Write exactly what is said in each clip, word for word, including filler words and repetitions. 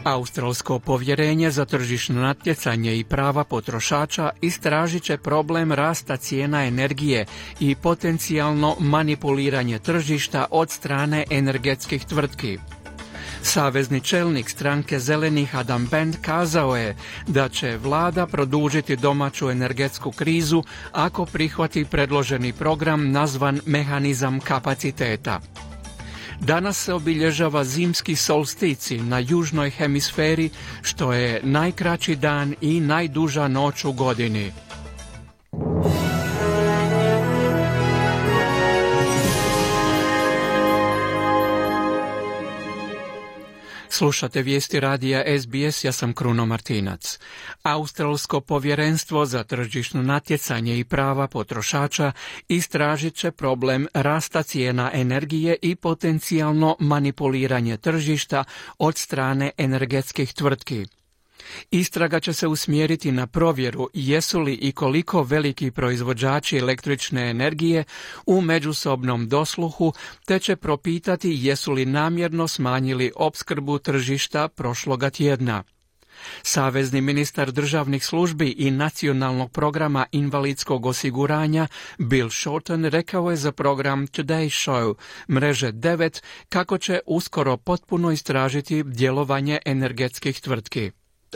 Australsko povjerenje za tržišno natjecanje i prava potrošača istražit će problem rasta cijena energije i potencijalno manipuliranje tržišta od strane energetskih tvrtki. Savezni čelnik stranke Zelenih Adam Band kazao je da će vlada produžiti domaću energetsku krizu ako prihvati predloženi program nazvan mehanizam kapaciteta. Danas se obilježava zimski solstici na južnoj hemisferi, što je najkraći dan i najduža noć u godini. Slušate vijesti radija S B S, ja sam Kruno Martinac. Australsko povjerenstvo za tržišno natjecanje i prava potrošača istražit će problem rasta cijena energije i potencijalno manipuliranje tržišta od strane energetskih tvrtki. Istraga će se usmjeriti na provjeru jesu li i koliko veliki proizvođači električne energije u međusobnom dosluhu, te će propitati jesu li namjerno smanjili opskrbu tržišta prošloga tjedna. Savezni ministar državnih službi i nacionalnog programa invalidskog osiguranja Bill Shorten rekao je za program Today Show mreže devet kako će uskoro potpuno istražiti djelovanje energetskih tvrtki.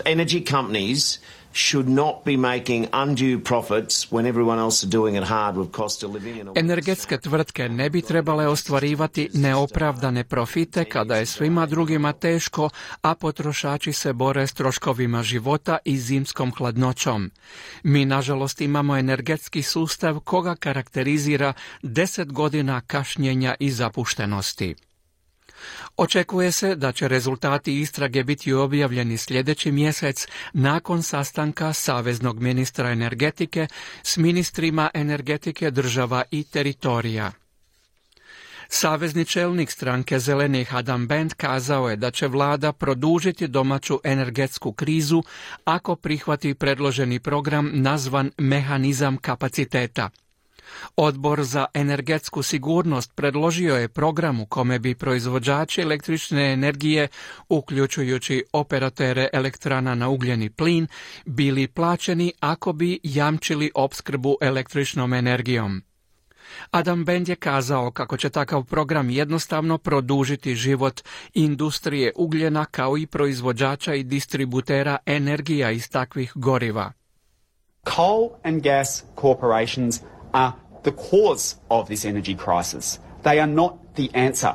Energy companies should not be making undue profits when everyone else is doing it hard with cost of living. Energetske tvrtke ne bi trebale ostvarivati neopravdane profite kada je svima drugima teško, a potrošači se bore s troškovima života i zimskom hladnoćom. Mi, nažalost, imamo energetski sustav koga karakterizira deset godina kašnjenja i zapuštenosti. Očekuje se da će rezultati istrage biti objavljeni sljedeći mjesec nakon sastanka saveznog ministra energetike s ministrima energetike država i teritorija. Savezni čelnik stranke Zelenih Adam Band kazao je da će vlada produžiti domaću energetsku krizu ako prihvati predloženi program nazvan mehanizam kapaciteta. Odbor za energetsku sigurnost predložio je program u kome bi proizvođači električne energije, uključujući operatere elektrana na ugljeni plin, bili plaćeni ako bi jamčili opskrbu električnom energijom. Adam Band je kazao kako će takav program jednostavno produžiti život industrije ugljena kao i proizvođača i distributera energija iz takvih goriva. Coal and gas corporations are the cause of this energy crisis. They are not the answer.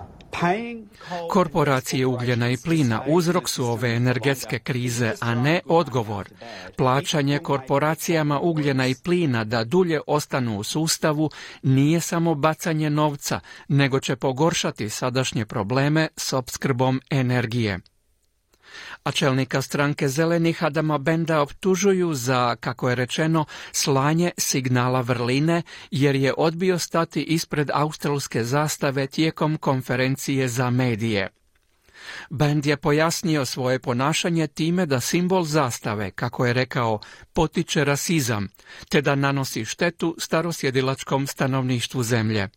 Korporacije ugljena i plina uzrok su ove energetske krize, a ne odgovor. Plaćanje korporacijama ugljena i plina da dulje ostanu u sustavu nije samo bacanje novca, nego će pogoršati sadašnje probleme s opskrbom energije. A čelnika stranke Zelenih Adama Banda optužuju za, kako je rečeno, slanje signala vrline, jer je odbio stati ispred australske zastave tijekom konferencije za medije. Band je pojasnio svoje ponašanje time da simbol zastave, kako je rekao, potiče rasizam, te da nanosi štetu starosjedilačkom stanovništvu zemlje.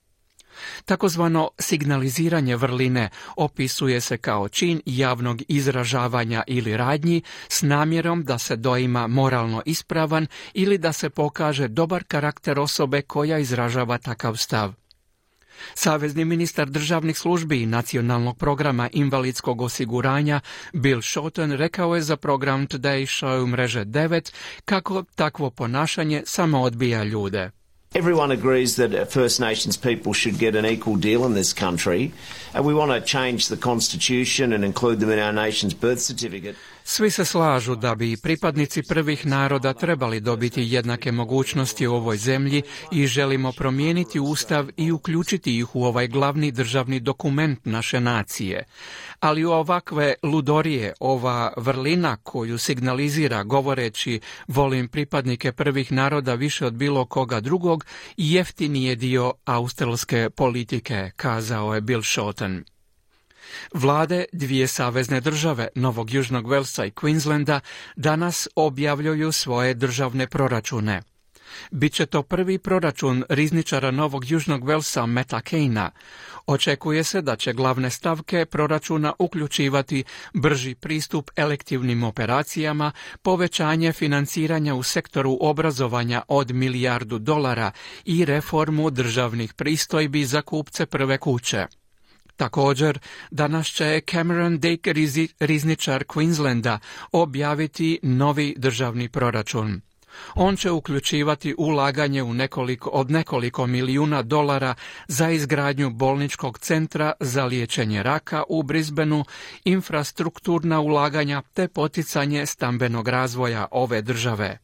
Takozvano signaliziranje vrline opisuje se kao čin javnog izražavanja ili radnji s namjerom da se doima moralno ispravan ili da se pokaže dobar karakter osobe koja izražava takav stav. Savezni ministar državnih službi i nacionalnog programa invalidskog osiguranja Bill Shorten rekao je za program Today Show mreže devet kako takvo ponašanje samo odbija ljude. Everyone agrees that First Nations people should get an equal deal in this country, and we want to change the constitution and include them in our nation's birth certificate. Svi se slažu da bi pripadnici prvih naroda trebali dobiti jednake mogućnosti u ovoj zemlji i želimo promijeniti ustav i uključiti ih u ovaj glavni državni dokument naše nacije. Ali u ovakve ludorije, ova vrlina koju signalizira govoreći volim pripadnike prvih naroda više od bilo koga drugog, jeftini je dio australske politike, kazao je Bill Shorten. Vlade dvije savezne države, Novog Južnog Velsa i Queenslanda, danas objavljuju svoje državne proračune. Biće to prvi proračun rizničara Novog Južnog Velsa Meta Keina. Očekuje se da će glavne stavke proračuna uključivati brži pristup elektivnim operacijama, povećanje financiranja u sektoru obrazovanja od milijardu dolara i reformu državnih pristojbi za kupce prve kuće. Također, danas će Cameron Dick, rizničar Queenslanda, objaviti novi državni proračun. On će uključivati ulaganje u nekoliko, od nekoliko milijuna dolara za izgradnju bolničkog centra za liječenje raka u Brisbaneu, infrastrukturna ulaganja te poticanje stambenog razvoja ove države.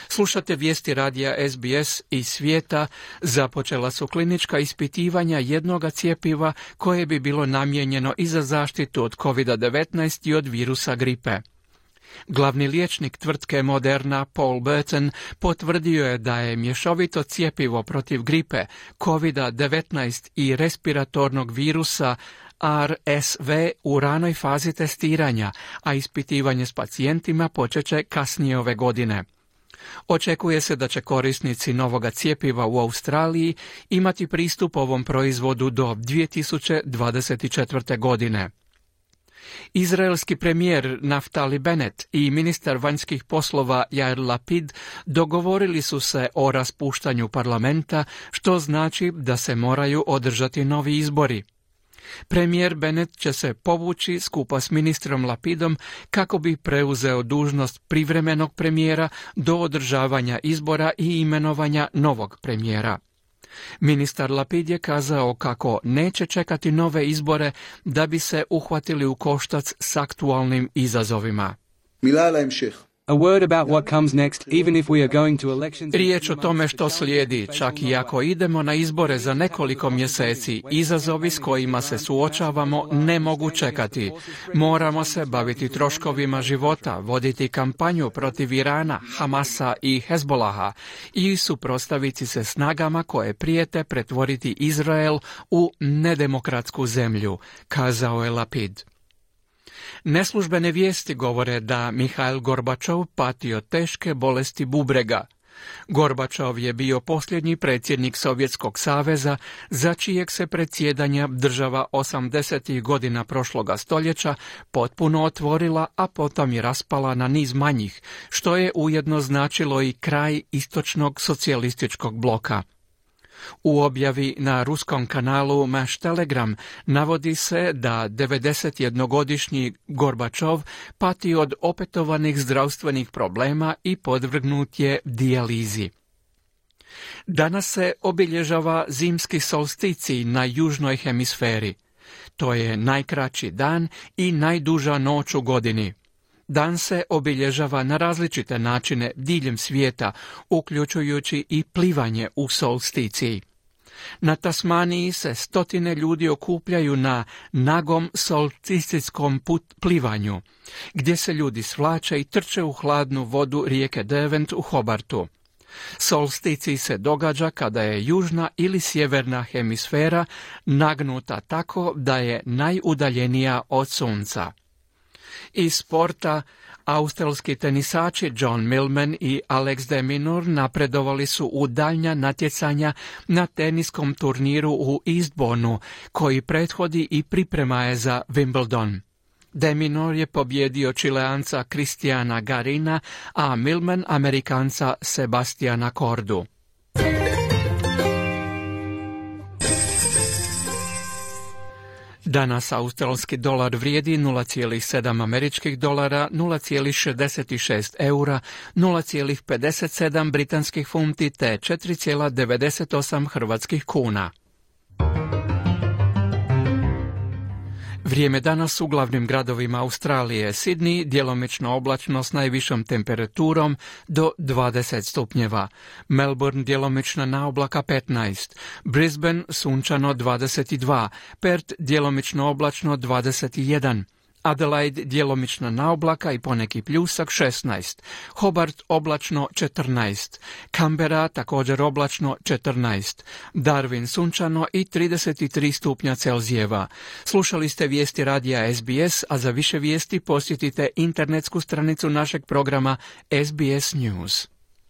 Slušate vijesti radija S B S iz svijeta. Započela su klinička ispitivanja jednoga cjepiva koje bi bilo namijenjeno i za zaštitu od kovid devetnaest i od virusa gripe. Glavni liječnik tvrtke Moderna, Paul Burton, potvrdio je da je mješovito cjepivo protiv gripe, kovid devetnaest i respiratornog virusa R S V u ranoj fazi testiranja, a ispitivanje s pacijentima počeće kasnije ove godine. Očekuje se da će korisnici novoga cjepiva u Australiji imati pristup ovom proizvodu do dvije tisuće dvadeset četvrte. godine. Izraelski premijer Naftali Bennett i ministar vanjskih poslova Yair Lapid dogovorili su se o raspuštanju parlamenta, što znači da se moraju održati novi izbori. Premijer Bennett će se povući skupa s ministrom Lapidom kako bi preuzeo dužnost privremenog premijera do održavanja izbora i imenovanja novog premijera. Ministar Lapid je kazao kako neće čekati nove izbore da bi se uhvatili u koštac s aktualnim izazovima. A word about what comes next, even if we are going to elections. Riječ o tome što slijedi, čak i ako idemo na izbore za nekoliko mjeseci, izazovi s kojima se suočavamo ne mogu čekati. Moramo se baviti troškovima života, voditi kampanju protiv Irana, Hamasa i Hezbolaha i suprotstaviti se snagama koje prijete pretvoriti Izrael u nedemokratsku zemlju, kazao je Lapid. Neslužbene vijesti govore da Mihail Gorbačov pati od teške bolesti bubrega. Gorbačov je bio posljednji predsjednik Sovjetskog saveza za čijeg se predsjedanja država osamdesetih godina prošloga stoljeća potpuno otvorila, a potom je raspala na niz manjih, što je ujedno značilo i kraj istočnog socijalističkog bloka. U objavi na ruskom kanalu Maš Telegram navodi se da devedesetjednogodišnji Gorbačov pati od opetovanih zdravstvenih problema i podvrgnut je dijalizi. Danas se obilježava zimski solsticij na južnoj hemisferi. To je najkraći dan i najduža noć u godini. Dan se obilježava na različite načine diljem svijeta, uključujući i plivanje u solsticiji. Na Tasmaniji se stotine ljudi okupljaju na nagom solsticijskom put plivanju, gdje se ljudi svlače i trče u hladnu vodu rijeke Derwent u Hobartu. Solsticij se događa kada je južna ili sjeverna hemisfera nagnuta tako da je najudaljenija od sunca. Iz sporta, australski tenisači John Millman i Alex de Minaur napredovali su u daljnja natjecanja na teniskom turniru u Eastbournu, koji prethodi i priprema je za Wimbledon. De Minaur je pobjedio Čileanca Cristiana Garina, a Millman Amerikanca Sebastiana Kordu. Danas australski dolar vrijedi nula zarez sedam američkih dolara, nula zarez šezdeset šest eura, nula zarez pedeset sedam britanskih funti te četiri zarez devedeset osam hrvatskih kuna. Vrijeme danas u glavnim gradovima Australije: Sydney djelomično oblačno s najvišom temperaturom do dvadeset stupnjeva, Melbourne djelomična naoblaka petnaest, Brisbane sunčano dvadeset dva, Perth djelomično oblačno dvadeset jedan, Adelaide djelomična naoblaka i poneki pljusak šesnaest, Hobart oblačno četrnaest, Canberra također oblačno četrnaest, Darwin sunčano i trideset tri stupnja Celzijeva. Slušali ste vijesti radija S B S, a za više vijesti posjetite internetsku stranicu našeg programa S B S News.